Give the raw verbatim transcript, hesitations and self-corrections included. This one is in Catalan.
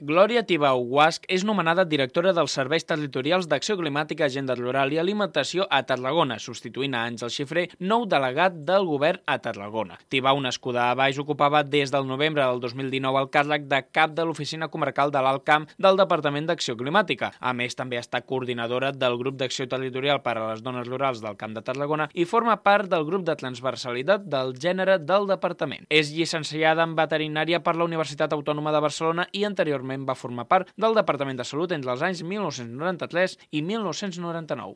Glòria Tibau Guasch és nomenada directora dels Serveis Territorials d'Acció Climàtica, Agenda Rural i Alimentació a Tarragona, substituint a Àngel Xifré, nou delegat del govern a Tarragona. Tibau, nascuda a Baix, ocupava des del novembre del dos mil dinou el càrrec de cap de l'Oficina Comarcal de l'Alt Camp del Departament d'Acció Climàtica. A més, també ha estat coordinadora del Grup d'Acció Territorial per a les Dones Rurals del Camp de Tarragona i forma part del Grup de Transversalitat del Gènere del Departament. És llicenciada en Veterinària per la Universitat Autònoma de Barcelona i anteriorment va formar part del Departament de Salut entre els anys mil nou-cents noranta-tres i mil nou-cents noranta-nou.